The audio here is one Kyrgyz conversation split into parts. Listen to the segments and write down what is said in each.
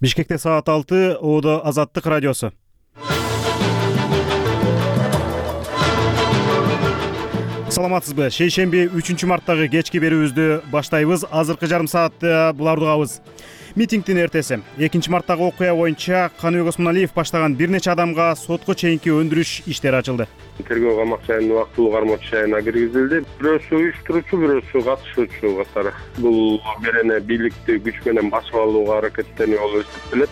Бишкекте саат 6, Оодо Азаттык радиосу. Саламатсызбы? Шейшемби 3-марттагы кечки берүүбүздү баштайбыз. Азыркы жарым саатты буларды угабыз. Митингдин эртеси 2-марттагы окуя боюнча Каныбек Осмоналиев баштаган бир нече адамга сотко чейинки өндүрүш иштери ачылды. Тергөө камак жайына убактылуу кармоочу жайына киргизилди. Бирөөсү уюштуруучу, бирөөсү катышуучу катары. Бул берене бийликти күч менен басып алууга аракеттенип болуп эсептелет.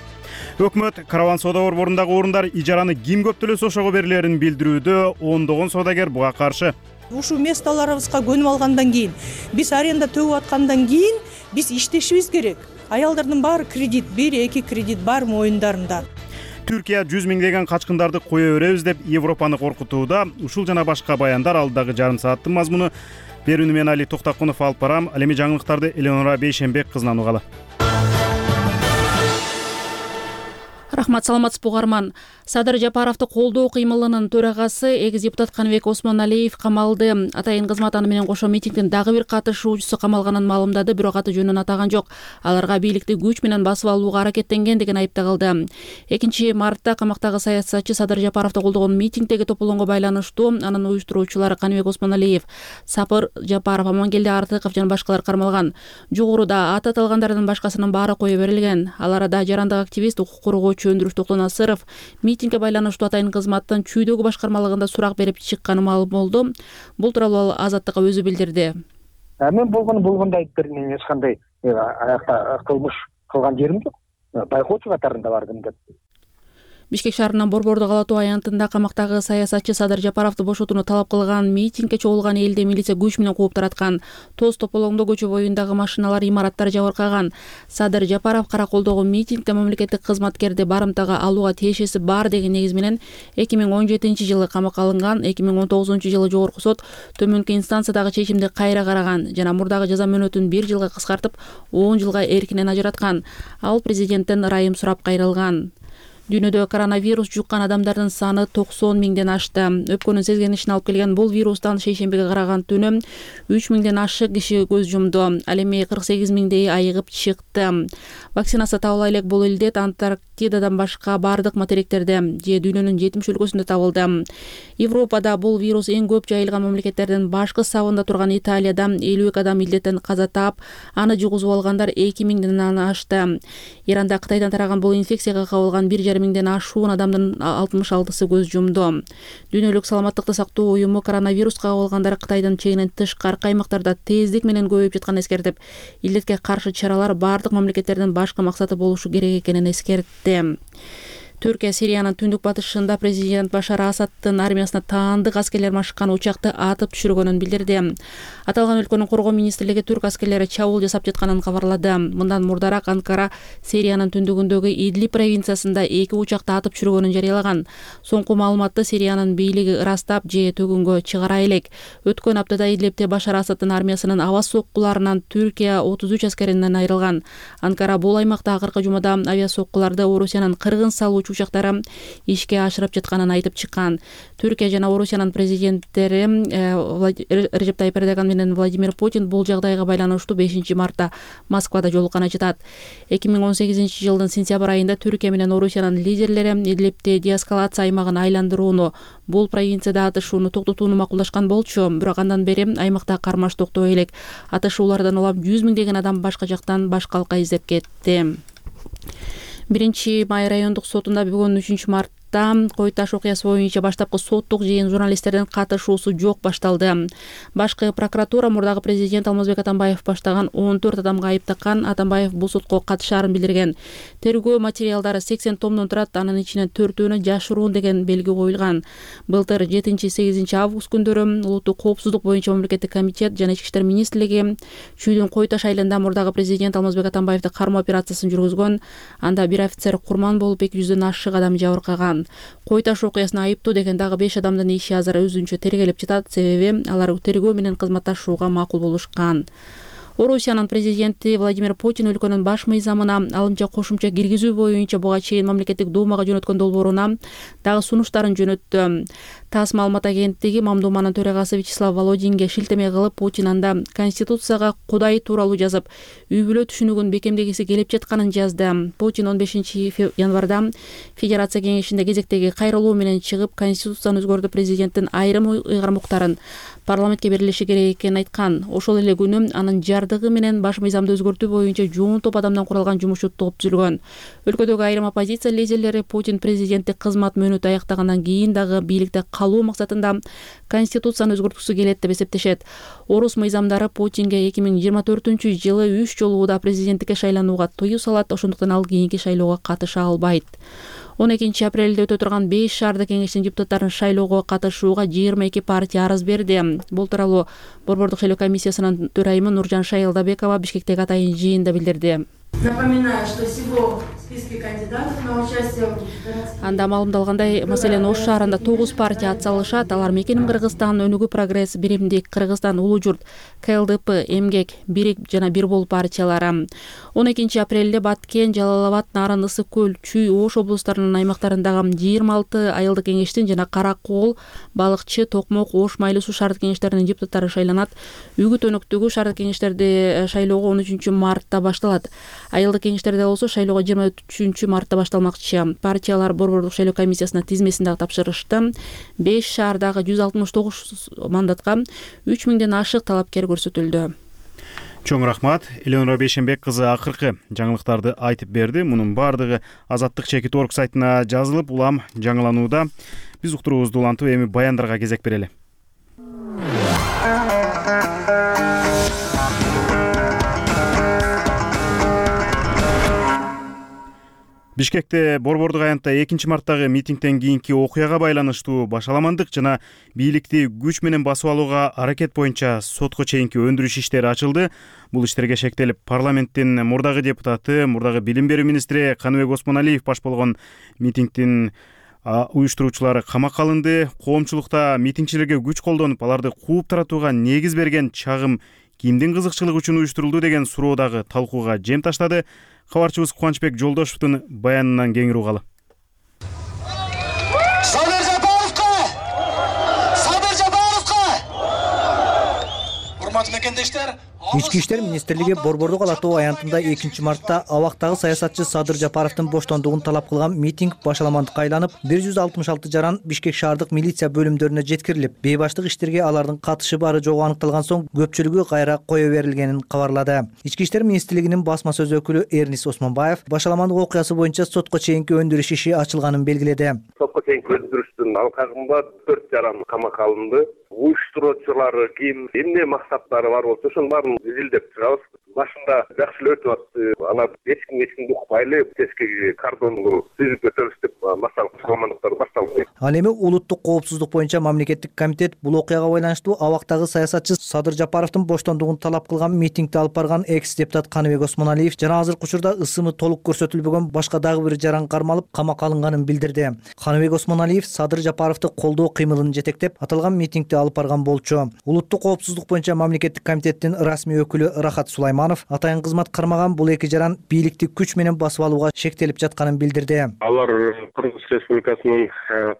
Өкмөт караван соода борборундагы орундар ижараны ким көптөлөсө ошого берилерин билдирүүдө, ондогон соодагер буга каршы. Ушул местолорубузга көнүп алгандан кийин, биз аренда төгүп аткандан кийин биз иштешибиз керек. Аялдардын баары кредит, 1-2 кредит бар моюндарында. Түркия 100 миңдеген качкындарды кое беребиз деп Европаны коркутууда. Ушул жана башка баяндар алдагы жарым сааттын мазмуну. Берүүнү мен Али Токтакунов алып барам. Ал эми жаңылыктарды Элеонора Бейшенбек кызынан угалы. Рахмат, саламатсызбы угарман. Садыр Жапаровду колдоо кыймылынын төрагасы экс депутат Каныбек Осмоналиев камалды. Атайын кызмат аны менен кошо митингдин дагы бир катышуучусу камалганын маалымдады, бирок аты жөнүн атаган жок. Аларга бийликти күч менен басып алууга аракеттенген деген айыпталды. 2-мартта камактагы саясатчы Садыр Жапаровду колдогон митингдеги тополоңго байланыштуу анын уюштуруучулары Каныбек Осмоналиев, Сапыр Жапаров, Амангелди Артыков жана башкалар кармалган. Жогоруда аты аталгандардын башкасынын баары кое берилген. Аларда жарандык активист, укук коргоочу Өндүрүш Токтонасыров митингге байланыштуу атайын кызматтын чүйдөгү башкармалыгында сурак берип чыкканы маалым болду. Бул тууралуу Азаттыкка өзү билдирди. Мен болгондой айтып бердим, эч кандай аякта кылмыш кылган жерим жок. Байкоочу катарында бардым деп. Бишкек шаарынын Борбордук Ала-Тоо аянтында камактагы саясатчы Садыр Жапаровду бошотууну талап кылган митингге чогулган элди милиция күч менен кууп тараткан. Тоз тополоңдо көчө боюндагы машиналар, имараттар жабыркаган. Садыр Жапаров караколдогу митингде мамлекеттик кызматкерди барымтага алууга тиешеси бар деген негиз менен 2017-жылы камакка алынган. 2019-жылы жогорку сот төмөнкү инстанциядагы чечимди кайра караган жана мурдагы жаза мөөнөтүн 1 жылга кыскартып 10 жылга эркинен ажыраткан. Ал президенттен ырайым сурап кайрылган. Дүйнөдө коронавирус жуккан адамдардын саны 90 миңден ашты. Өпкөнүн сезгенишин алып келген бул вирустан шейшембиге караган түнү 3 миңден ашык киши көз жумду. Ал эми 48 миңдей айыгып чыкты. Вакцинация табыла элек бул илдет Антарктидадан башка бардык материктерде же дүйнөнүн 70 өлкөсүндө табылды. Европада бул вирус эң көп жайылган мамлекеттердин башкы сабында турган Италияда 52 адам илдеттен каза таап, аны жугузуп алгандар 2 миңден ашты. Иранда Кытайдан тараган бул инфекцияга кабылган 1,5 миңден ашуун адамдын 66-сы көз жумду. Дүйнөлүк саламаттыкты сактоо уюму коронавируска кабылгандар Кытайдын чегинен тышкаркы аймактарда тездик менен көбөйүп жатканын эскертип, илдетке каршы чаралар бардык мамлекеттердин башкы максаты болушу керек экенин эскертти. Түркия Сириянын түндүк батышында президент Башар Асаддын армиясына таандык аскерлер машыккан учакты атып түшүргөнүн билдирди. Аталган өлкөнүн коргоо министрлиги түрк аскерлери чабуул жасап жатканын кабарлады. Мындан мурдараак Анкара Сириянын түндүгүндөгү Идлиб провинциясында 2 учакты атып түшүргөнүн жарыялаган. Соңку маалыматты Сириянын бийлиги ырастап же төгүнгө чыгара элек. Өткөн аптада Идлибте Башар Асаддын армиясынын аба соккуларынан Түркия 33 аскеринен айрылган. Анкара бул аймакта акыркы жумада авиа соккуларды Орусиянын кыргын салуучу учактары ишке ашырып жатканын айтып чыккан. Түркия жана Орусиянын президенттери Режеп Тайип Эрдоган менен Владимир Путин бул жагдайга байланыштуу 5-мартта Москвада жолуккан айтат. 2018-жылдын сентябрь айында Түркия менен Орусиянын лидерлери Идлибте деэскалация аймагын айландырууну, бул провинцияда атышууну токтотууну макулдашкан болчу, бирок андан бери аймакта кармаш токтой элек. Атышуулардан улам 100 миңдеген адам башка жактан башкалыкка издеп кетти. 1-Май райондук сотунда бүгүн 3-мартта Кой Таш окуясы боюнча баштапкы соттук жыйын журналисттердин катышуусу жок башталды. Башкы прокуратура мурдагы президент Алмазбек Атамбаев баштаган 14 адамга айып таккан. Атамбаев бул сотко катышаарын билдирген. Тергөө материалдары 80 томдон турат, анын ичинен 4-өөнө жашыруун деген белги коюлган. Былтыр 7-8 август күндөрү улуттук коопсуздук боюнча мамлекеттик комитет жана Ички иштер министрлиги Чүйдүн Кой Таш айылында мурдагы президент Алмазбек Атамбаевди кармоо операциясын жүргүзгөн. Анда бир офицер курман болуп 200дөн ашык адам жабыркаган. Кой Таш окуясына айыптуу деген дагы 5 адамдын иши азыр өзүнчө тергелеп жатат, себеби алар тергөө менен кызматташууга макул болушкан. Орусиянын президенти Владимир Путин өлкөнүн баш мыйзамына алымча кошумча киргизүү боюнча буга чейин мамлекеттик думага жөнөткөн долбооруна дагы сунуштарын жөнөттү. ТАСС маалымат агенттиги Мамдуманын төрагасы Вячеслав Володинге шилтеме кылып, Путин анда Конституцияга Кудай тууралуу жазып, үй бүлө түшүнүгүн бекемдегиси келип жатканын жазды. Путин 15 январда Федерация кеңешинде кезектеги кайрылуу менен чыгып, Конституцияны өзгөртүү президенттин айрым ыйгармуктарын парламентке берилиши керек экенин айткан. Ошол эле күнү анын жардыгы менен баш мыйзамды өзгөртүү боюнча жуун топ адамдан куралган жумушчу топ түзүлгөн. Өлкөдөгү айрым оппозиция лидерлери Путин президенттик кызмат мөөнөтү аяктагандан кийин дагы бийликте калуу максатында Конституцияны өзгөрткүсү келет деп эсептешет. Орус мыйзамдары Путинге 2024-жылы 3 жолу да президенттикке шайланууга тыюу салат, ошондуктан ал кийинки шайлоого катыша албайт. 12 апрелде өтө турган 5 шаардык кеңештин депутаттарын шайлоого катышууга 22 партия арыз берди. Бул тууралуу Борбордук шайлоо комиссиясынын төрайымы Нуржан Шайылдабекова Бишкектеги атайын жыйында билдирди. Напоминаю, что всего в списке кандидатов на участие Анда маалымдалгандай, маселен Ош шаарында 9 партия ат салышат. Алар Мекеним Кыргызстан, Өнүгүү Прогресс, Биримдик Кыргызстан, Улуу Журт, КЛДП, Эмгек, Бирик жана Бир Бол партиялары. 12 апрелде Баткен, Жалал Абад, Нарын, Ысык Көл, Чүй, Ош облустарынын аймактарындагы 26 айылдык кеңештин жана Кара Кол, Балыкчы, Токмок, Ош, Майлуу Суу шаардык кеңештеринин депутаттары шайланат. Үгүт Өнөктөгү шаардык кеңештерди шайлоого 13 мартта башталат. Айылдык кеңештерде болсо шайлоого 23 мартта башталмакчы. Партиялар Борбордук шайлоо комиссиясына тизмесин дагы тапшырышты. 5 шаардагы 169 мандатка 3000ден ашык талапкер көрсөтүлдү. Чоң рахмат. Элеонора Бейшенбек кызы акыркы жаңылыктарды айтып берди. Мунун баардыгы Азаттык чекит орг сайтына жазылып, улам жаңыланууда. Биз уктуруубузду улантып, эми баяндарга кезек берели. Бишкекте Борбордук аянтта 2 марттагы митингден кийинки окуяга байланыштуу башаламандык жана бийликти күч менен басып алууга аракет боюнча сотко чейинки өндүрүш иштери ачылды. Бул иштерге шектелип, парламенттин мурдагы депутаты, мурдагы билим берүү министри Каныбек Осмоналиев баш болгон митингдин уюштуруучулары камакка алынды. Коомчулукта митингчилерге күч колдонуп, аларды кууп таратууга негиз берген чагым кимдин кызыкчылыгы үчүн уюштурулду деген суроо дагы талкууга жем таштады. Кабарчыбыз Кубанычбек Жолдошевдун баянынан кеңири угалы. Садыр Жапаровка! Урматтуу мекендештер, Ички иштер министрлиги Борбордук ала тоо аянтында 2 мартта абактагы саясатчы Садыр Жапаровдун боштондугун талап кылган митинг башаламандыкка айланып, 166 жаран Бишкек шаардык милиция бөлүмдөрүнө жеткирилип, бейбаштык иштерге алардын катышы бары жогу аныкталган соң көпчүлүгү кайра кое берилгенин кабарлады. Ички иштер министрлигинин басма сөз өкүлү Эрнис Осмонбаев башаламандык окуясы боюнча сотко чейинки өндүрүш иши ачылганын белгиледи. Сотко чейинки өндүрүштүн алкагында 4 жаран камакка алынды. Уюштуруучулары ким, эмне максаттары бар болсо ошонун баарын изилдеп чыгабыз. Башында жакшы эле өтүп атты. Ана эчкимди укпайлы тескиги кордонду түзүп өтөбүз деп массалык башаламандыктар башталды. Ал эми улуттук коопсуздук боюнча мамлекеттик комитет бул окуяга байланыштуу абактагы саясатчы Садыр Жапаровдун боштондугун талап кылган митингди алып барган экс-депутат Каныбек Осмоналиев жана азыркы учурда ысымы толук көрсөтүлбөгөн башка дагы бир жаран кармалып камакка алынганын билдирди. Каныбек Осмоналиев Садыр Жапаровду колдоо кыймылын жетектеп, аталган митингди алып барган болчу. Улуттук коопсуздук боюнча мамлекеттик комитеттин расмий өкүлү Рахат Сулайманов атайын кызмат кармаган бул эки жаран бийликти күч менен басып алууга шектелип жатканын билдирди. Алар Кыргыз Республикасынын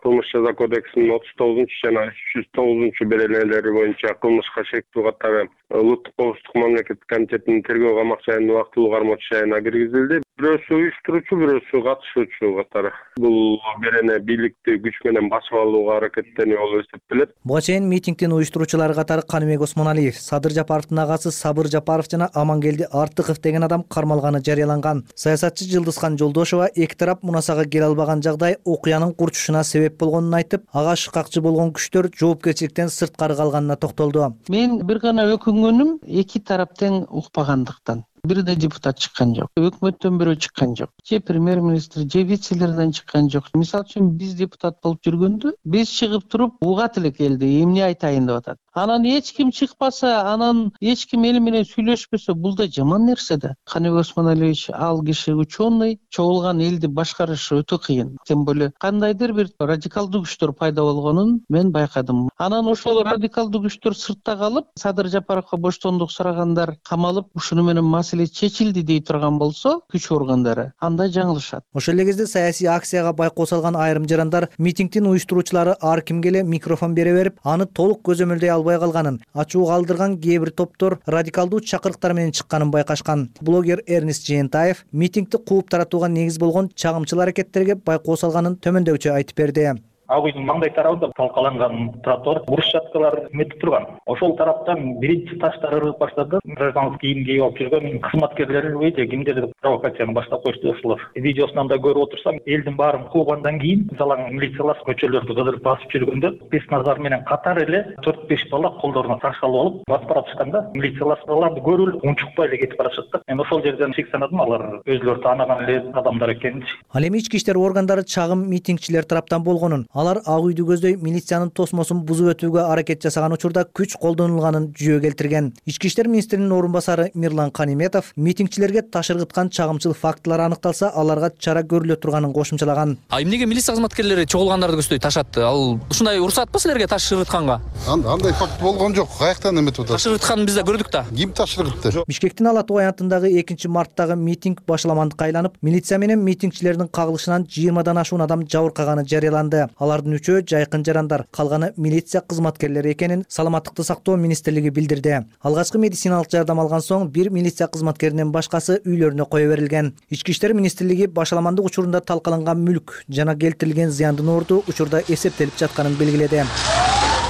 кылмыш жаза кодексинин 39 жана 309 беренелери боюнча кылмышка шектүү катары улуттук коопсуздук мамлекеттик комитетинин тергөө камак жайын убактылуу кармоочу жайына киргизилди. Бирөөсү уюштуруучу, бирөөсү катышуучу катары. Бул берене бийликти күч менен басып алууга аракеттенүү болуп эсептелет. Буга чейин митингдин уюштуруучулары катары Каныбек Осмоналиев, Садыр Жапаровдун агасы Сабыр Жапаров жана Амангелди Артыков деген адам кармалганы жарыяланган. Саясатчы Жылдызхан Жолдошова эки тарап мунасага келе албаган жагдай окуянын курчушуна себеп болгонун айтып, ага шыкакчы болгон күчтөр жоопкерчиликтен сырткары калганына токтолду. Мен бир гана өкүнгөнүм эки тарап тең укпагандыктан. Бир да депутат чыккан жок, өкмөттөн бирөө чыккан жок, же премьер-министр, же вице-лерден чыккан жок. Мисалы үчүн биз депутат болуп жүргөндө биз чыгып туруп угат элек элди, эмне айтайын деп атат. Анан эч ким чыкпаса, анан эч ким эл менен сүйлөшпөсө, бул да жаман нерсе да. Каныбек Осмоналиевич ал киши ученый, чогулган элди башкарышы өтө кыйын. Тем более кандайдыр бир радикалдуу күчтөр пайда болгонун мен байкадым. Анан ошол радикалдуу күчтөр сыртта калып, Садыр Жапаровго боштондук сурагандар камалып, ушуну менен маселе чечилди дей турган болсо, күч органдары анда жаңылышат. Ошол эле кезде саясий акцияга байкоо салган айрым жарандар митингдин уюштуруучулары ар кимге эле микрофон бере берип, аны толук көзөмөлдөй албай калганын, ачуу калтырган кээ бир топтор радикалдуу чакырыктар менен чыкканын байкашкан. Блогер Эрнест Жээнтаев митингди кууп таратууга негиз болгон чагымчыл аракеттерге байкоо салганын төмөндөгүчө айтып берди. Ак үйдүн маңдай тарабында талкаланган тротуар брусчаткалар метип турган. Ошол тараптан биринчи таштар ыргып баштады. Гражданский кийим кийип алып жүргөн кызматкерлер же кимдер провокацияны баштап коюшту ошолор. Видеосунан да көрүп отурсам, элдин баарын куугандан кийин жалаң милициялар көчөлөрдү кыдырып басып жүргөндө спец назар менен катар эле 4-5 бала колдоруна таш алып алып басып баратышканда, милициялар аларды көрүп унчукпай эле кетип барышат да. Мен ошол жерден шек санадым, алар өзүлөрү таанаган эле адамдар экенин. Ал эми ички иштер органдары чагым митингчилер тараптан болгонун, алар ак үйдү көздөй милициянын тосмосун бузуп өтүүгө аракет жасаган учурда күч колдонулганын жүйө келтирген. Ички иштер министринин орун басары Мирлан Каниметов митингчилерге таш ыргыткан чагымчыл фактылар аныкталса, аларга чара көрүлө турганын кошумчалаган. Эмнеге милиция кызматкерлери чогулгандарды көздөй таш атты? Ал ушундай уруксатпы силерге таш ыргытканга? Андай факт болгон жок. Каяктан эметип атат? Таш ыргытканын биз да көрдүк да. Ким таш ыргытты? Бишкектин Ала Тоо аянтындагы 2-марттагы митинг башаламандыкка айланып, милиция менен митингчилердин кагылышынан 20дан ашуун адам жабыркаганы жарыяланды. Алардын 3-өө жайкын жарандар, калганы милиция кызматкерлери экенин Саламаттыкты сактоо министрлиги билдирди. Алгачкы медициналык жардам алган соң бир милиция кызматкеринен башкасы үйлөрүнө кое берилген. Ички иштер министрлиги башаламандык учурунда талкаланган мүлк жана келтирилген зыяндын орду учурда эсептелип жатканын белгиледи.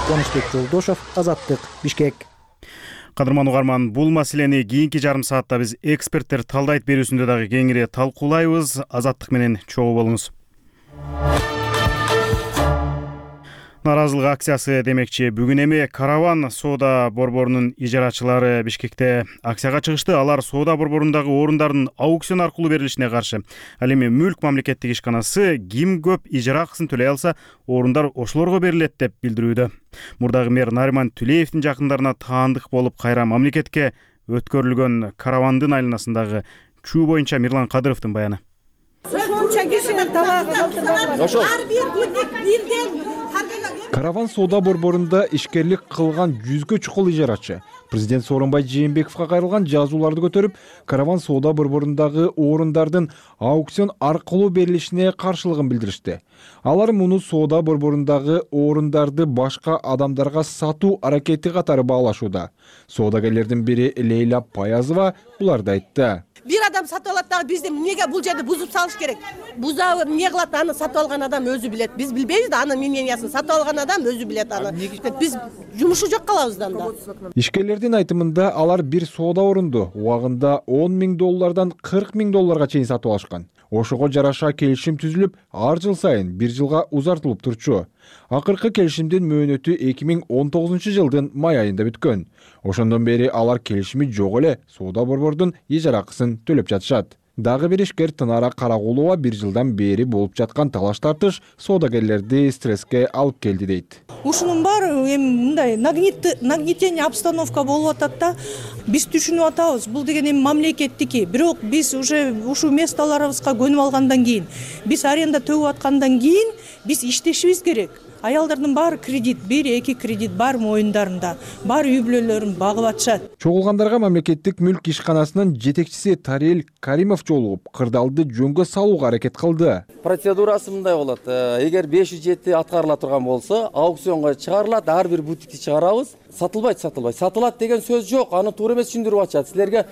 Конушбек Жолдошов, Азаттык, Бишкек. Кадырман угарман, бул маселени кийинки жарым саатта биз эксперттер талдайт берүүсүндө дагы кеңири талкуулайбыз. Азаттык менен чогуу болуңуз. Наразылык акциясы демекчи, бүгүн эми Караван соода борборунун ижарачылары Бишкекте акцияга чыгышты. Алар соода борборундагы орундардын аукцион аркылуу берилишине каршы. Ал эми Мүлк мамлекеттик ишканасы ким көп ижара акысын төлөй алса, орундар ошолорго берилет деп билдирүүдө. Мурдагы мэр Нариман Түлеевдин жакындарына таандык болуп кайра мамлекетке өткөрүлгөн Каравандын айланасындагы чүү боюнча Мирлан Кадыровдун баяны. Караван соода борборунда ишкерлик кылган 100гө чукул ижарачы президент Сооронбай Жээнбековго кайрылган жазууларды көтөрүп, Караван соода борборундагы орундардын аукцион аркылуу берилишине каршылыгын билдиришти. Алар муну соода борборундагы орундарды башка адамдарга сатуу аракети катары баалашууда. Соодагерлердин бири Лейла Паязова буларды айтты. Бир адам сатып алат дагы бизде эмнеге бул жерде бузуп салыш керек? Бузабы эмне кылат, аны сатып алган адам өзү билет. Биз билбейбиз да, анын мнениясын сатып алган адам өзү билет аны. Биз жумушу жок калабыздан да. Ишкерлердин айтымында алар бир соода орунду убагында $10,000 $40,000 чейин сатып алышкан. Ошого жараша келишим түзүлүп, ар жыл сайын 1 жылга узартылып турчу. Акыркы келишимдин мөөнөтү 2019 жылдын май айында бүткөн. Ошондон бери алар келишими жок эле соода борбордун ижара акысын төлөп жатышат. Дагы бир ишкер Тынара Карагулова 1 жылдан бери болуп жаткан талаш тартыш соодагерлерди стресске алып келди дейт. Ушунун баары эми мындай нагнетение обстановка болуп атат да. Биз түшүнүп атабыз, бул деген эми мамлекеттики. Бирок биз уже ушу месталарыбызга көнүп алгандан кийин, биз аренда төлөп аткандан кийин биз иштешибиз керек. Аялдардын баары кредит, 1-2 кредит бар моюндарында, бар үй бүлөлөрүн багып атышат. Чогулгандарга мамлекеттик мүлк ишканасынын жетекчиси Тарел Каримов жолугуп, кырдаалды жөнгө салууга аракет кылды. Процедурасы мындай болот. Эгер 507 аткарыла турган болсо, аукционго чыгарылат, ар бир бутикти чыгарабыз. Сатылбайт. Сатылат деген сөз жок. Аны туура эмес түшүндүрүп атышат. Силерге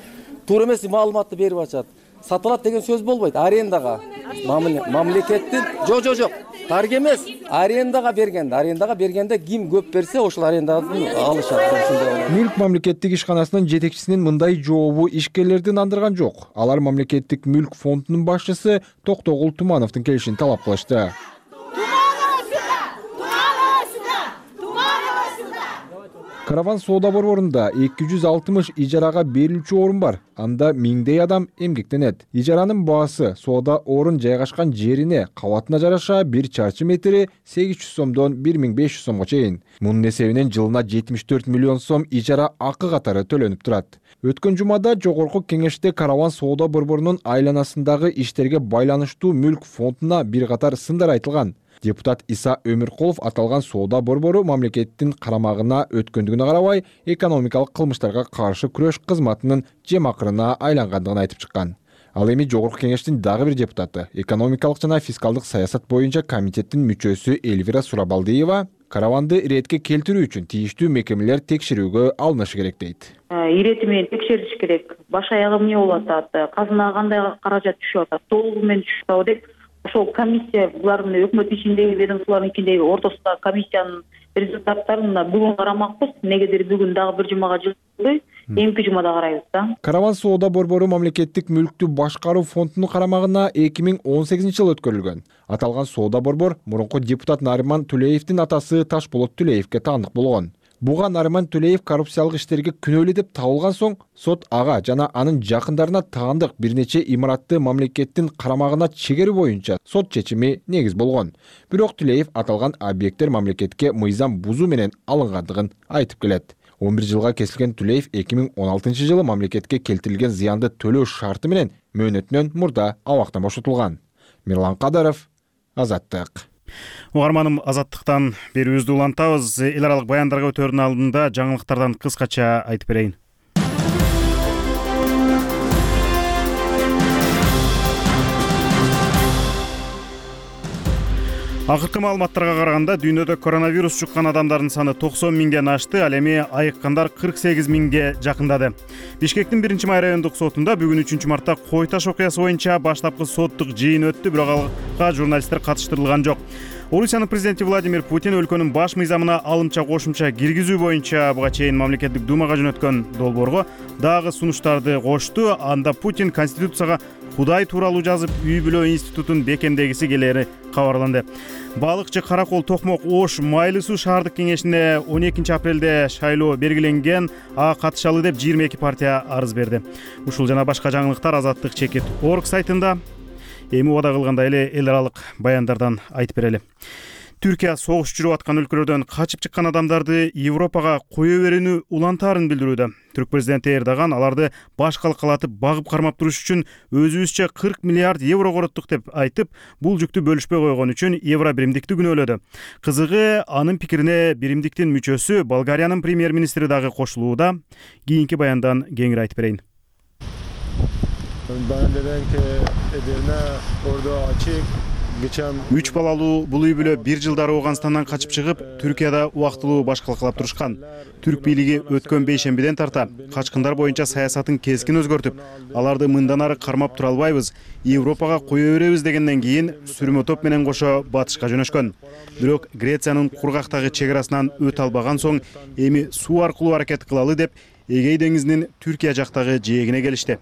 туура эмес маалыматты берип атышат. Сатылат деген сөз болбойт. Арендага мамлекеттин жок. Тарга эмес, арендага бергенде ким көп берсе, ошол аренданы алышат. Мүлк мамлекеттик ишканасынын жетекчисинин мындай жообу ишкерлерди нандырган жок. Алар мамлекеттик мүлк фондунун башчысы Токтогул Тумановдун келишин талап кылышты. Караван соода борборунда 260 ижарага берилүүчү орун бар. Анда миңдей адам эмгектенет. Ижаранын баасы соода орун жайгашкан жерине, кабатына жараша 1 чарчы метри 800 сомдон 1500 сомго чейин. Мунун эсебинен жылына 74 миллион сом ижара акы катары төлөнүп турат. Өткөн жумада жогорку кеңеште Караван соода борборунун айланасындагы иштерге байланыштуу мүлк фондуна бир катар сындар айтылган. Депутат Иса Өмүркулов аталган соода борбору мамлекеттин карамагына өткөндүгүнө карабай, экономикалык кылмыштарга каршы күрөш кызматынын жемакырына айлангандыгын айтып чыккан. Ал эми жогорку кеңештин дагы бир депутаты, экономикалык жана фискалдык саясат боюнча комитеттин мүчөсү Эльвира Сурабалдиева караванды иретке келтирүү үчүн тийиштүү мекемелер текшерүүгө алынышы керек дейт. Ирети менен текшериш керек. Баш аягы эмне болуп атат, казынага кандай каражат түшүп атат, толугу менен түшүп атабы деп ошол комиссия булардын өкмөт ичиндеги ведомстволордун ортосундагы комиссиянын результаттарын бүгүн карамакпыз. Негедир бүгүн дагы бир жумага жылбой, эмки жумада карайбыз да. Караван соода борбору мамлекеттик мүлктү башкаруу фондунун карамагына 2018-жылы өткөрүлгөн. Аталган соода борбор мурунку депутат Нариман Төлеевдин атасы Ташболот Төлеевге таандык болгон. Буга Нариман Төлеев коррупциялык иштерге күнөөлүү деп табылган соң, сот ага жана анын жакындарына таандык бир нече имаратты мамлекеттин карамагына чегерүү боюнча сот чечими негиз болгон. Бирок Төлеев аталган объекттер мамлекетке мыйзам бузуу менен алынгандыгын айтып келет. 11 жылга кесилген Төлеев 2016-жылы мамлекетке келтирилген зыянды төлөө шарты менен мөөнөтүнөн мурда абактан бошотулган. Мирлан Кадаров, Азаттык. Угарманым, Азаттыктан берүүбүздү улантабыз. Эл аралык баяндарга өтөрдүн алдында жаңылыктардан кыскача айтып берейин. Акыркы маалыматтарга караганда дүйнөдө коронавирус жуккан адамдардын саны 90 миңден ашты, ал эми айыккандар 48 миңге жакындады. Бишкектин 1-май райондук сотунда бүгүн 3-мартта кой таш окуясы боюнча баштапкы соттук жыйын өттү, бирок алга журналисттер катыштырылган жок. Орусиянын президенти Владимир Путин өлкөнүн баш мыйзамына алымча кошумча киргизүү боюнча буга чейин мамлекеттик думага жөнөткөн долбоорго дагы сунуштарды кошту. Анда Путин Конституцияга Кудай тууралуу жазып, үй бүлө институтун бекемдегиси келери кабарланды. Балыкчы Каракол Токмок Ош Майлы суу шаардык кеңешине 12 апрелде шайлоо белгиленген, катышалы деп 22 партия арыз берди. Ушул жана башка жаңылыктар Азаттык.org сайтында. Эми убада кылгандай эле эл аралык баяндардан айтып берели. Түркия согуш жүрүп аткан өлкөлөрдөн качып чыккан адамдарды Европага кое берүүнү улантаарын билдирүүдө. Түрк президенти Эрдоган аларды баш калкалатып багып кармап туруш үчүн өзүбүзчө 40 миллиард евро короттук деп айтып, бул жүктү бөлүшпөй койгон үчүн евро биримдикти күнөөлөдү. Кызыгы, анын пикирине биримдиктин мүчөсү Болгариянын премьер-министри дагы кошулууда. Кийинки баяндан кеңири айтып берейин. Үч балалуу бул үй бүлө 1 жылдары Ооганстандан качып чыгып, Түркияда убактылуу баш калкалап турушкан. Түрк бийлиги өткөн бейшембиден тарта качкындар боюнча саясатын кескин өзгөртүп, аларды мындан ары кармап тура албайбыз, Европага кое беребиз дегенден кийин сүрмө топ менен кошо батышка жөнөшкөн. Бирок Грециянын кургактагы чек арасынан өтө албаган соң, эми суу аркылуу аракет кылалы деп Эгей деңизинин Түркия жактагы жээгине келишти.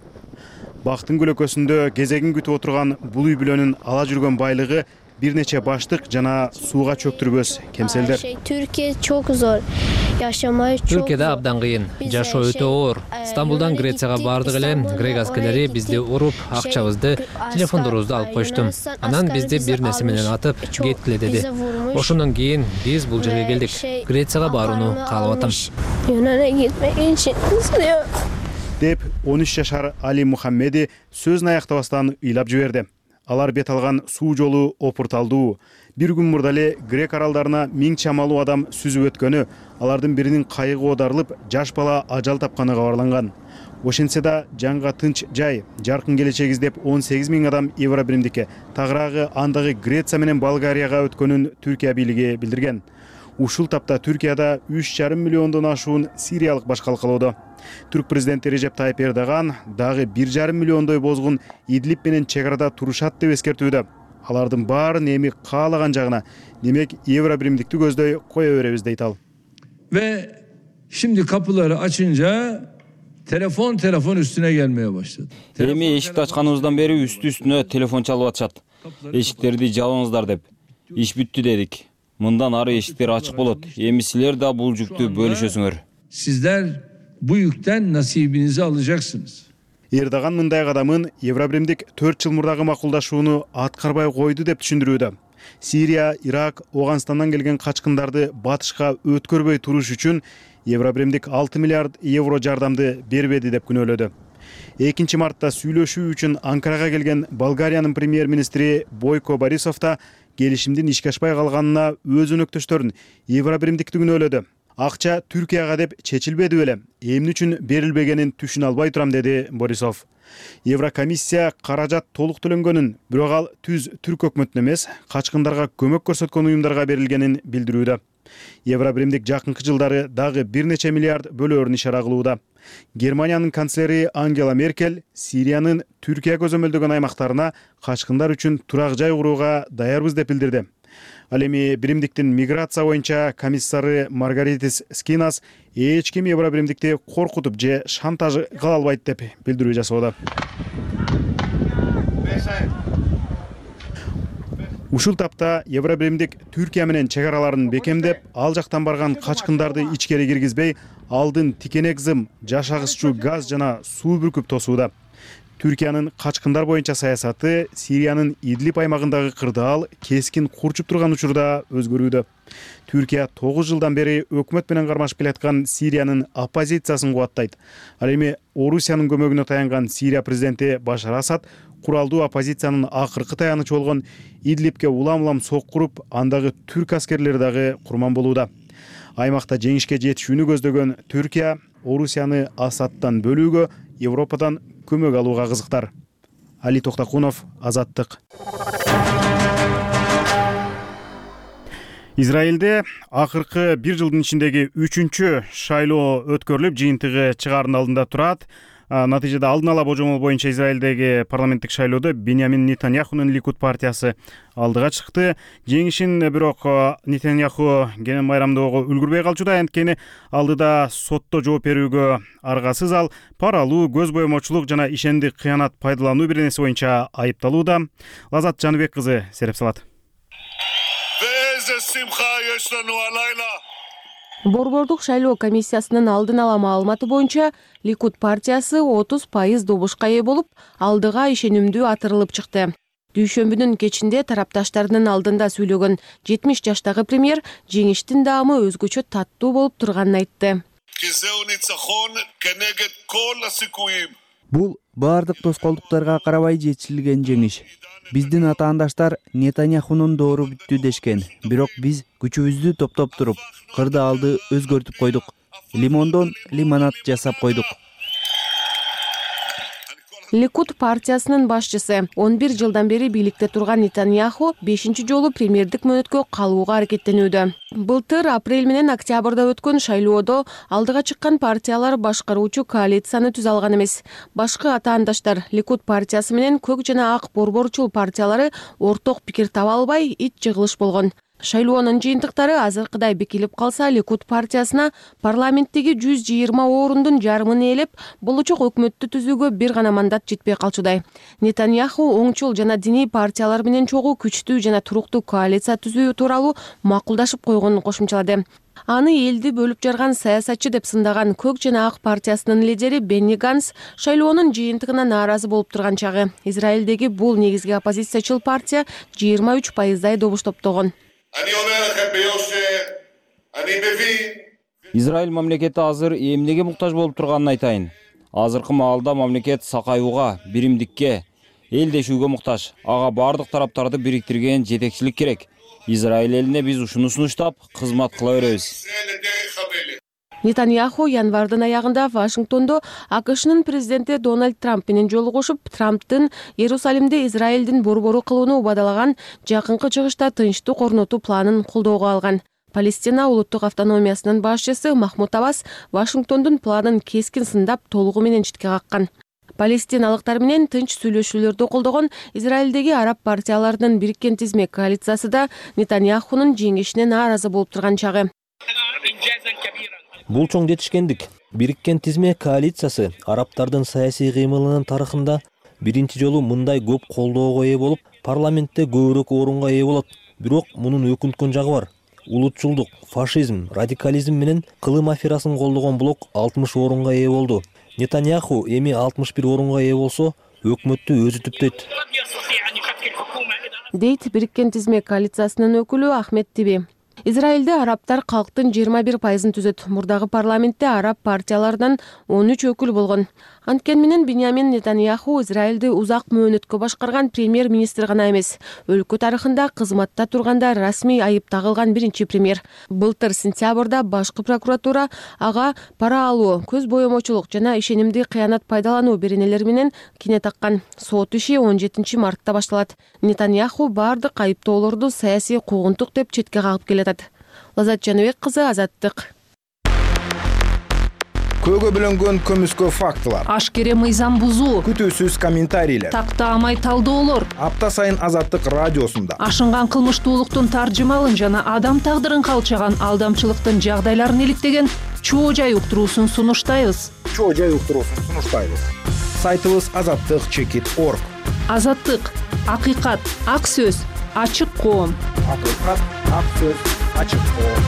Бактын көлөкөсүндө кезегин күтүп отурган бул үй бүлөнүн ала жүргөн байлыгы бир нече баштык жана сууга чөктүрбөс кемселдер. Türkiye çok zor. Yaşamayı çok. Türkiye'de abdan kıyın. Жашоо өтө оор. Стамбулдан Грецияга бардык эле. Грек аскерлери бизди уруп, акчабызды, телефондорубузду алып кошту. Анан бизди бир нерсе менен атып, кеткиле деди. Ошондон кийин биз бул жерге келдик. Грецияга барууну каалап атам. Yunan'a gitmek için istiyor. Деп 13 жашар Али Мухаммеди сөзүн аяктабастан ыйлап жиберди. Алар бет алган суу жолу опурталдуу. Бир күн мурда эле Грек аралдарына 1000 чамалуу адам сүзүп өткөнү, алардын биринин кайыгы оодарылып, жаш бала ажал тапканы кабарланган. Ошентсе да жанга тынч жай, жаркын келечек издеп 18 000 адам евро биримдикке, тагыраагы андагы Греция менен Болгарияга өткөнүн Түркия бийлиги билдирген. Ушул тапта Түркияда 3,5 миллиондон ашуун сириялык баш калкалоодо. Түрк президенти Режеп Тайып Эрдоган дагы 1,5 миллиондой бозгун Идлиб менен чек арада турушат деп эскертүүдө. Алардын баарын эми каалаган жагына, демек евро биримдикти көздөй кое беребиз дейт ал. Ve şimdi kapıları açınca telefon üstüne gelmeye başladı. Эми эшикти ачканыбыздан бери үстү-үстүнө телефон чалып атышат. Эшиктерди жабыңыздар деп. Иш бүттү дедик. Мындан ары эшиктер ачык болот. Эми силер да бул жүктү бөлүшөсүңөр. sizler bu yükten nasibinizi alacaksınız. Эрдоган мындай кадамын Евробиримдик 4 жыл мурдагы макулдашууну аткарбай койду деп түшүндүрүүдө. Сирия, Ирак, Оганстандан келген качкындарды батышка өткөрбөй туруш үчүн Евробиримдик 6 миллиард евро жардамды бербеди деп күнөөлөдү. 2 мартта сүйлөшүү үчүн Анкарага келген Болгариянын премьер-министри Бойко Борисов да келишимдин ишке ашпай калганына өз өнөктөштөрүн Евробиримдикти күнөөлөдү. Акча Түркияга деп чечилбеди беле, эмне үчүн берилбегенин түшүнө албай турам, деди Борисов. Еврокомиссия каражат толук төлөнгөнүн, бирок ал түз түрк өкмөтүнө эмес, качкындарга көмөк көрсөткөн уюмдарга берилгенин билдирүүдө. Евробиримдик жакынкы жылдары дагы бир нече миллиард бөлөөрүн ишара кылууда. Германиянын канцлери Ангела Меркель Сириянын Түркия көзөмөлдөгөн аймактарына качкындар үчүн турак жай курууга даярбыз деп билдирди. Ал эми биримдиктин миграция боюнча комиссары Маргаритис Скинас эч ким Евробиримдикти коркутуп же шантаж кыла албайт деп билдирүү жасоодо. Ушул тапта Евробиримдик Түркия менен чек араларын бекемдеп, ал жактан барган качкындарды ичкери киргизбей, алдын тикенек зым, жашагыччуу газ жана суу бүркүп тосууда. Түркиянын качкындар боюнча саясаты Сириянын Идлиб аймагындагы кырдаал кескин курчуп турган учурда өзгөрүүдө. Түркия 9 жылдан бери өкмөт менен кармашып келаткан Сириянын оппозициясын кубаттайт. Ал эми Орусиянын көмөгүнө таянган Сирия президенти Башар Асад куралдуу оппозициянын акыркы таянычы болгон Идлибке улам-улам соккуруп, андагы түрк аскерлери дагы курман болууда. Аймакта жеңишке жетишүүнү көздөгөн Түркия Орусияны Асадтан бөлүүгө, Европадан көмөк алууга кызыктар. Али Токтакунов, Азаттык. Израилде акыркы 1 жылдын ичиндеги 3-чү шайлоо өткөрүлүп, жыйынтыгы чыгаардын алдында турат. Натыйжада алдын ала божомол боюнча Израилдеги парламенттик шайлоодо Беньямин Нетаньяхунун Ликуд партиясы алдыга чыкты. Жеңишин бирок Нетаньяху кенен майрамдоого үлгүрбөй калчуда. Анткени алдыда сотто жооп берүүгө аргасыз. Ал паралуу, көз боемочулук жана ишендик кыянат пайдалануу бир нерсе боюнча айыпталууда. Лазат Жаныбек кызы сереп салат. Борбордук шайлоо комиссиясынын алдын ала маалыматы боюнча Ликуд партиясы 30% добушка ээ болуп, алдыга ишенимдүү атырылып чыкты. Дүйшөмбүнүн кечинде тарапташтарынын алдында сүйлөгөн 70 жаштагы премьер жеңиштин даамы өзгөчө таттуу болуп турганын айтты. Бул баардык тоскоолдуктарга карабай жетишилген жеңиш. Биздин атаандаштар Нетаньяхунун доору бүттү дешкен, бирок биз күчүбүздү топтоп туруп, кырдаалды өзгөртүп койдук. Лимондон лимонад жасап койдук. Ликуд партиясынын башчысы 11 жылдан бери бийликте турган Нетаньяху 5-чи жолу премьердик мөөнөткө калууга аракеттенүүдө. Былтыр апрель менен октябрда өткөн шайлоодо алдыга чыккан партиялар башкаруучу коалицияны түзө алган эмес. Башкы атаандаштар Ликуд партиясы менен көк жана ак борборчул партиялары орток пикир таба албай ит жыгылыш болгон. Шайлоонун жыйынтыктары азыркыдай бекилип калса, Ликуд партиясына парламенттеги 120 орундун жарымын ээлеп, болочок өкмөттү түзүүгө бир гана мандат жетпей калчудай. Нетаньяху оңчул жана диний партиялар менен чогуу күчтүү жана туруктуу коалиция түзүү тууралуу макулдашып койгонун кошумчалады. Аны элди бөлүп жарган саясатчы деп сындаган көк жана ак партиясынын лидери Бенни Ганс шайлоонун жыйынтыгына нааразы болуп турган чагы. Израилдеги бул негизги оппозициячыл партия 23%дай добуш топтогон. Израиль мамлекети азыр эмнеге муктаж болуп турганын айтайын. Азыркы маалда мамлекет сакаюуга, биримдикке, элдешүүгө муктаж. Ага бардык тараптарды бириктирген жетекчилик керек. Израиль элине биз ушуну сунуштап, кызмат кыла беребиз. Нетаньяху январдын аягында Вашингтондо АКШнын президенти Дональд Трамп менен жолугушуп, Трамптын Иерусалимде Израилдин борбору кылууну убадалаган жакынкы чыгышта тынчтык орнотуу планын колдоого алган. Палестина улуттук автономиясынын башчысы Махмуд Аббас Вашингтондун планын кескин сындап, толугу менен четке каккан. Палестиналыктар менен тынч сүйлөшүүлөрдү колдогон Израилдеги араб партияларынын бириккен тизме коалициясы да Нетаньяхунун жеңишине нааразы болуп турган чагы. Бул чоң жетишкендик. Бириккен тизме коалициясы арабтардын саясий кыймылынын тарыхында биринчи жолу мындай көп колдоого ээ болуп, парламентте көбүрөөк орунга ээ болот. Бирок мунун өкүнткөн жагы бар. улутчулдук, фашизм, радикализм менен кылым аферасын колдогон блок 60 орунга ээ болду. Нетаньяху эми 61 орунга ээ болсо, өкмөттү өзү түптөйт. Дейт Бириккен Тизме коалициясынын өкүлү Ахмед Тиби. Израилде арабтар калктын 21% түзөт. Мурдагы парламентте араб партиялардан 13 өкүл болгон. Анткени менен Биньямин Нетаньяху Израилди узак мөөнөткө башкарган премьер-министр гана эмес, өлкө тарыхында кызматта турганда расмий айып тагылган биринчи премьер. Былтыр сентябрда башкы прокуратура ага пара алуу, көз боемочулук жана ишенимди кыянат пайдалануу беренелери менен кине таккан. Сот иши 17 мартта башталат. Нетаньяху бардык айыптоолорду саясий куугунтук деп четке кагып келатат. Лазат Жаныбек кызы, Азаттык. Көөгө бөлөнгөн көмүскө фактылар, ашкере мыйзам бузуу, күтүүсүз комментарийлер, тактаамай талдоолор. Апта сайын Азаттык радиосунда Ашынган кылмыштуулуктун таржымалын жана адам тагдырын калчаган алдамчылыктын жагдайларын иликтеген чоо жай уктуруусун сунуштайбыз. Сайтыбыз azattik.org. Азаттык, акыйкат, ак сөз, ачык коом. Акыйкат, ак сөз, ачык коом.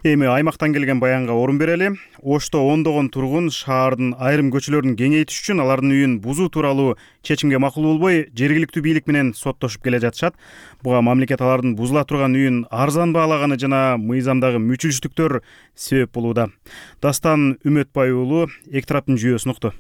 Эми аймактан келген баянга орун берели. Ошто ондогон тургун шаардын айрым көчөлөрүн кеңейтиш үчүн алардын үйүн бузуу тууралуу чечимге макул болбой, жергиликтүү бийлик менен соттошуп келе жатышат. Буга мамлекет алардын бузула турган үйүн арзан баалаганы жана мыйзамдагы мүчүлүштүктөр себеп болууда. Дастан Үмөтбай уулу эки тараптын жүйөсүн укту.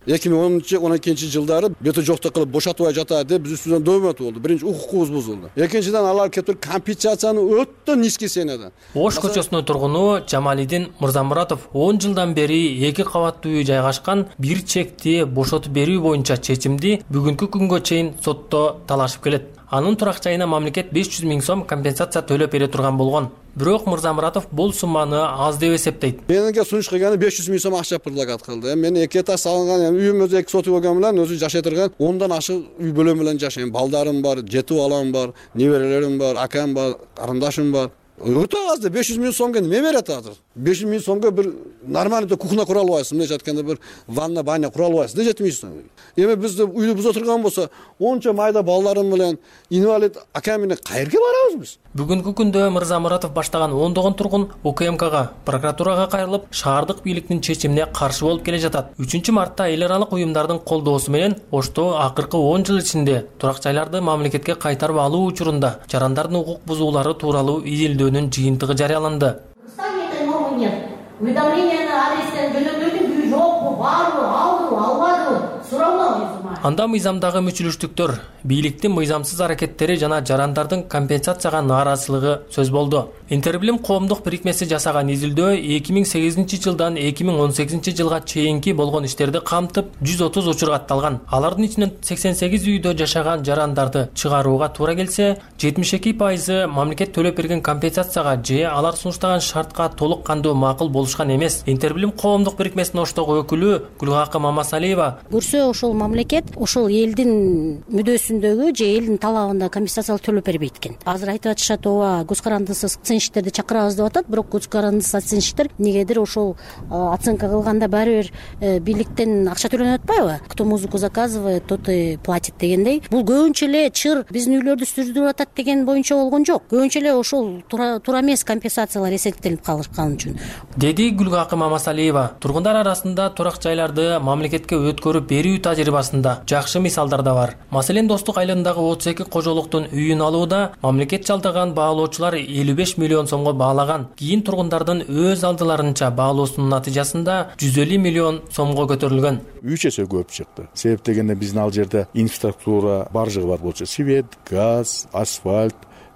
2010-12 жылдары бето жоктук кылып бошотубай жатат деп биз үстүбүздөн дөмөт болду. Биринчи укукубуз бузулду. Экинчиден алар кетип компенсацияны өтө низкий сенеден. Ош көчөсүнүн тургуну Жамалидин Мырзамуратов 10 жылдан бери 2 кабаттуу үй жайгашкан бир чекти бошотуп берүү боюнча чечимди бүгүнкү күнгө чейин сотто талашып келет. Анын турак жайына мамлекет 500 000 сом компенсация төлөп бере турган болгон. Бирок Мырзамуратов бул сумманы аз деп эсептейт. Менинге сунуш кылганы 500 000 сом акча предлагат кылды. Мен 2 этаж салынган, үйүм өзү 2 соту болгон менен өзү жашай турган, ондан ашык үй бөлөм менен жашайм. Балдарым бар, жети балам бар, неберелерим бар, акам бар, карындашым бар. Өтө аз деп 500 000 сомго эме берет азыр. 500 000 сомго бир нормальный кухня кура албайсың, мындай айтканда бир ванна, баня кура албайсың, жетмейсиң. Эми бизде үйдү буза турган болсо, онча майда балдарым менен, инвалид акам менен кайерге барабыз биз? Бүгүнкү күндө Мырзамуратов баштаган ондогон тургун УКМКга, прокуратурага кайрылып, шаардык бийликтин чечимине каршы болуп келе жатат. 3 мартта эл аралык уюмдардын колдоосу менен Ошто акыркы 10 жыл ичинде турак жайларды мамлекетке кайтарып алуу учурунда жарандардын укук бузуулары тууралуу изилдөөнүн жыйынтыгы жарыяланды. Уведомление на адрестен жөнөтүүнүн жокпу, барбы, алдыбы, албадыбы суроолор. Анда мыйзамдагы мүчүлүштүктөр, бийликтин мыйзамсыз аракеттери жана жарандардын компенсацияга нааразычылыгы сөз болду. Интербилим коомдук бирикмеси жасаган изилдөө 2008 жылдан 2018 жылга чейинки болгон иштерди камтып 130 учур катталган. Алардын ичинен 88 үйдө жашаган жарандарды чыгарууга туура келсе, 72% мамлекет төлөп берген компенсацияга же алар сунуштаган шартка толук кандуу макул болушкан эмес. Интербилим коомдук бирикмесинин Оштогу өкүлү Гүлгакы Мамасалиева көрсө ошол мамлекет ошол элдин мүдөсүндөгү же элдин талабында компенсациялык төлөп бербейт экен. Азыр айтып атышат, ооба, көз карандысыз оценщиктерди чакырабыз деп атат, бирок көз карандысыз оценщиктер негедир ошол оценка кылганда баары бир бийликтен акча төлөнүп атпайбы? Кто музыку заказывает, тот и платит дегендей. Бул көбүнчө эле чыр биздин үйлөрдү сүрдүрүп атат деген боюнча болгон жок. Көбүнчө эле ошол туура эмес компенсациялар эсептелип калышкан үчүн. Деди Гүлгакы Мамасалиева. Тургундар арасында турак жайларды мамлекетке өткөрүп берүү тажрыйбасында жакшы мисалдар да бар. Маселен, Достук айылындагы 32 кожолуктун үйүн алууда мамлекет жалдаган баалоочулар 55 миллион сомго баалаган. Кийин тургундардын өз алдыларынча баалоосунун натыйжасында 150 миллион сомго көтөрүлгөн. 3 эсе көп чыкты. Себеп дегенде биздин ал жерде инфраструктура баржыгы бар болчу. Свет, газ, асфальт.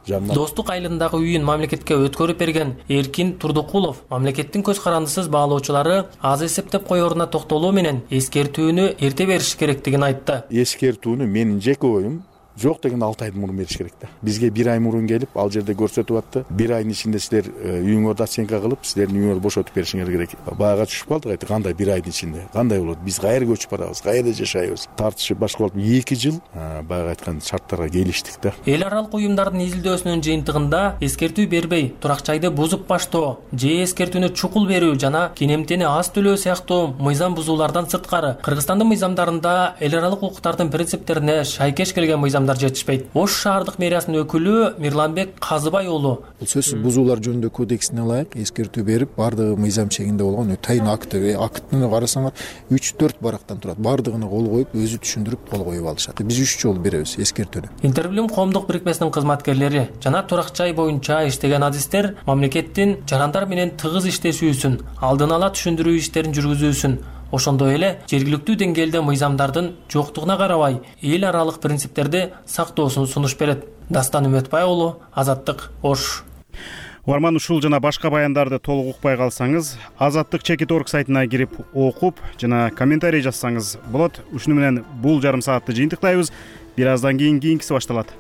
Достук айылындагы үйүн мамлекетке өткөрүп берген Эркин Турдукулов мамлекеттин көз карандысыз баалоочулары аз эсептеп коеруна токтолуу менен эскертүүнү эрте бериш керектигин айтты. Эскертүүнү менин жеке оюм жок деген 6 айдан мурун бериш керек да. Бизге 1 ай мурун келип, ал жерде көрсөтүп атты. 1 айдын ичинде силер үйүңөрдү оценка кылып, силердин үйүңөрдү бошотуп беришиңер керек. Бага түшүп калдык, айты кандай 1 айдын ичинде? Кандай болот? Биз кайерге көчүп барабыз? Кайерде жашайбыз? Тартышып башка болуп 2 жыл бага айткан шарттарга келиштик да. Эл аралык уюмдардын изилдөөсүнүн жыйынтыгында эскертүү бербей, турак жайды бузуп баштоо, же эскертүүнү чукул берүү жана кенемтени аз төлөө сыяктуу мыйзам бузуулардан сырткары Кыргызстандын мыйзамдарында эл аралык укуктардын принциптерине шайкеш келген мыйзамдар адамдар жетишпейт. Ош шаардык мэриясынын өкүлү Мирланбек Казыбай уулу бул сөзсүз бузуулар жөнүндө кодексине ылайык эскертүү берип, бардыгы мыйзам чегинде болгон тайын актыны карасаңар 3-4 барактан турат. Бардыгына кол коюп, өзү түшүндүрүп кол коюп алышат. Биз 3 жолу беребиз эскертүүнү. Интерблим коомдук бирикмесинин кызматкерлери жана турак жай боюнча иштеген адистер мамлекеттин жарандар менен тыгыз иштешүүсүн, алдын ала түшүндүрүү иштерин жүргүзүүсүн, ошондой эле жергиликтүү деңгээлде мыйзамдардын жоктугуна карабай эл аралык принциптерди сактоосун сунуш берет. Дастан Үмөтбай уулу, Азаттык, Ош. Угарман, ушул жана башка баяндарды толук укпай калсаңыз, Azattik.org сайтына кирип окуп жана комментарий жазсаңыз болот. Ушуну менен бул жарым саатты жыйынтыктайбыз. Бир аздан кийин кийинкиси башталат.